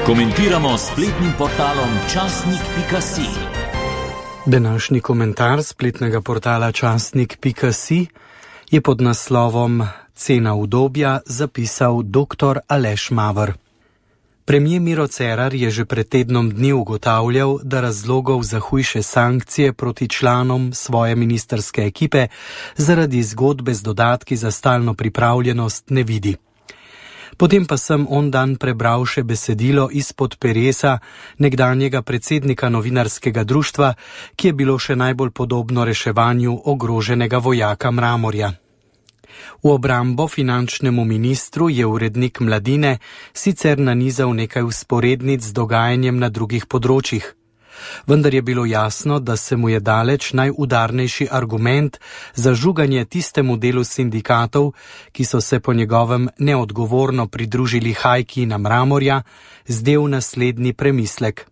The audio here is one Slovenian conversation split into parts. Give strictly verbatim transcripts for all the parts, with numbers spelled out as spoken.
Komentiramo spletnim portalom časnik pika si. Današnji komentar spletnega portala časnik pika si je pod naslovom Cena udobja zapisal doktor Aleš Maver. Premier Miro Cerar je že pred tednom dni ugotavljal, da razlogov za hujše sankcije proti članom svoje ministrske ekipe zaradi zgodbe z dodatki za stalno pripravljenost ne vidi. Potem pa sem on dan prebral še besedilo izpod peresa nekdanjega predsednika novinarskega društva, ki je bilo še najbolj podobno reševanju ogroženega vojaka Mramorja. V obrambo finančnemu ministru je urednik Mladine sicer nanizal nekaj vzporednic z dogajanjem na drugih področjih. Vendar je bilo jasno, da se mu je daleč najudarnejši argument za žuganje tistemu delu sindikatov, ki so se po njegovem neodgovorno pridružili hajki na Mramorja, zdel naslednji premislek.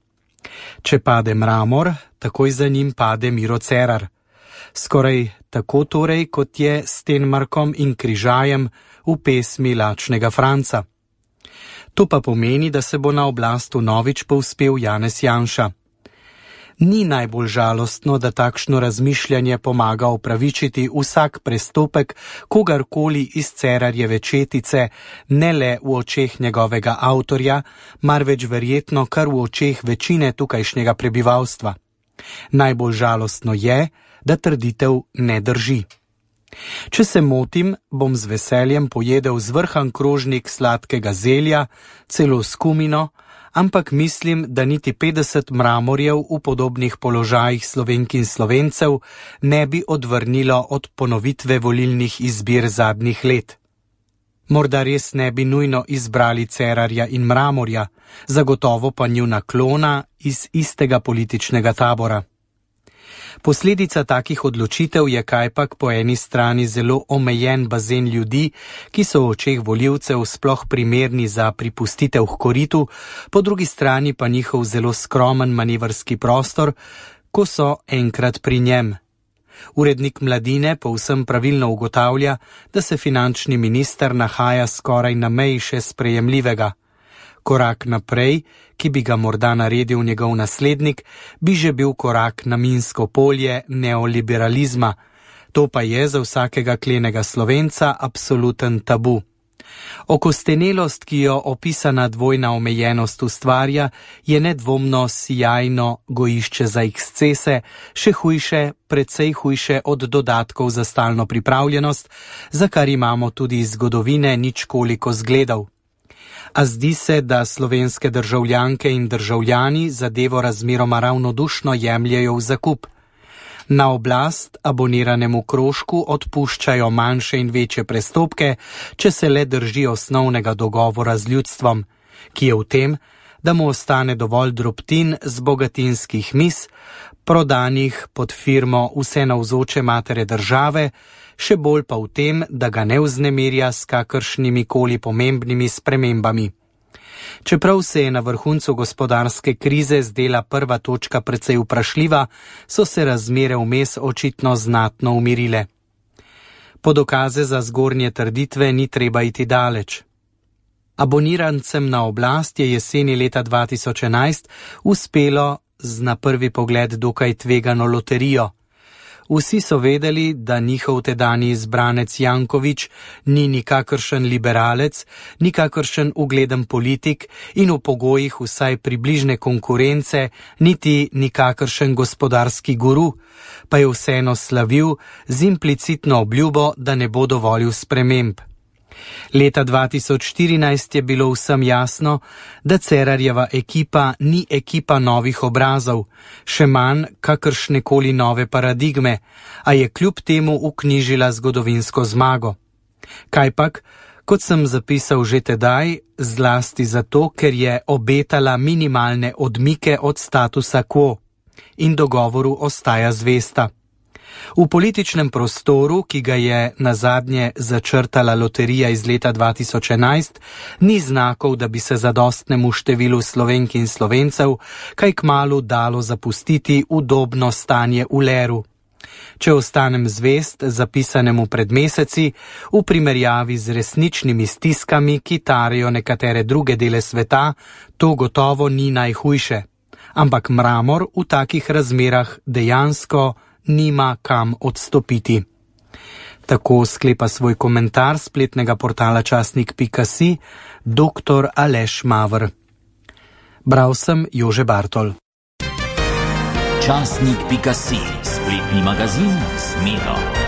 Če pade Mramor, takoj za njim pade Miro Cerar. Skoraj tako torej, kot je s Stenmarkom in Križajem v pesmi Lačnega Franca. To pa pomeni, da se bo na oblast vnovič povzpel Janez Janša. Ni najbolj žalostno, da takšno razmišljanje pomaga opravičiti vsak prestopek kogarkoli iz Cerarjeve četice, ne le v očeh njegovega avtorja, marveč verjetno kar v očeh večine tukajšnjega prebivalstva. Najbolj žalostno je, da trditev ne drži. Če se motim, bom z veseljem pojedel zvrhan krožnik sladkega zelja, celo s kumino, ampak mislim, da niti petdeset Mramorjev v podobnih položajih Slovenk in Slovencev ne bi odvrnilo od ponovitve volilnih izbir zadnjih let. Morda res ne bi nujno izbrali Cerarja in Mramorja, zagotovo pa njuna klona iz istega političnega tabora. Posledica takih odločitev je kajpak po eni strani zelo omejen bazen ljudi, ki so v očeh volivcev sploh primerni za pripustitev h koritu, po drugi strani pa njihov zelo skromen manevrski prostor, ko so enkrat pri njem. Urednik Mladine povsem pravilno ugotavlja, da se finančni minister nahaja skoraj na meji še sprejemljivega. Korak naprej, ki bi ga morda naredil njegov naslednik, bi že bil korak na minsko polje neoliberalizma. To pa je za vsakega klenega Slovenca absoluten tabu. Okostenelost, ki jo opisana dvojna omejenost ustvarja, je nedvomno sijajno gojišče za ekscese, še hujše, precej hujše od dodatkov za stalno pripravljenost, za kar imamo tudi iz zgodovine ničkoliko zgledov. A zdi se, da slovenske državljanke in državljani zadevo razmeroma ravnodušno jemljejo v zakup. Na oblast aboniranemu krožku odpuščajo manjše in večje prestopke, če se le drži osnovnega dogovora z ljudstvom, ki je v tem, da mu ostane dovolj drobtin z bogatinskih mis, prodanih pod firmo vse navzoče matere države, še bolj pa v tem, da ga ne vznemirja s kakršnimi koli pomembnimi spremembami. Čeprav se je na vrhuncu gospodarske krize zdela prva točka precej vprašljiva, so se razmere vmes očitno znatno umirile. Po dokaze za zgornje trditve ni treba iti daleč. Abonirancem na oblast je jeseni leta dva tisoč enajst uspelo z na prvi pogled dokaj tvegano loterijo. Vsi so vedeli, da njihov tedanji izbranec Janković ni nikakršen liberalec, nikakršen ugleden politik in v pogojih vsaj približne konkurence niti nikakršen gospodarski guru, pa je vseeno slavil z implicitno obljubo, da ne bo dovolil sprememb. Leta dva tisoč štirinajst je bilo vsem jasno, da Cerarjeva ekipa ni ekipa novih obrazov, še manj kakršnekoli nove paradigme, a je kljub temu vknjižila zgodovinsko zmago. Kajpak, kot sem zapisal že tedaj, zlasti zato, ker je obetala minimalne odmike od statusa quo in dogovoru ostaja zvesta. V političnem prostoru, ki ga je nazadnje začrtala loterija iz leta dva tisoč enajst, ni znakov, da bi se zadostnemu številu Slovenk in Slovencev kaj kmalu dalo zapustiti udobno stanje v leru. Če ostanem zvest zapisanemu pred meseci, v primerjavi z resničnimi stiskami, ki tarijo nekatere druge dele sveta, to gotovo ni najhujše. Ampak mramor v takih razmerah dejansko nima kam odstopiti. Tako sklepa svoj komentar spletnega portala časnik pika si doktor Aleš Maver. Bral sem Jože Bartol. časnik pika si, spletni magazin Smelo.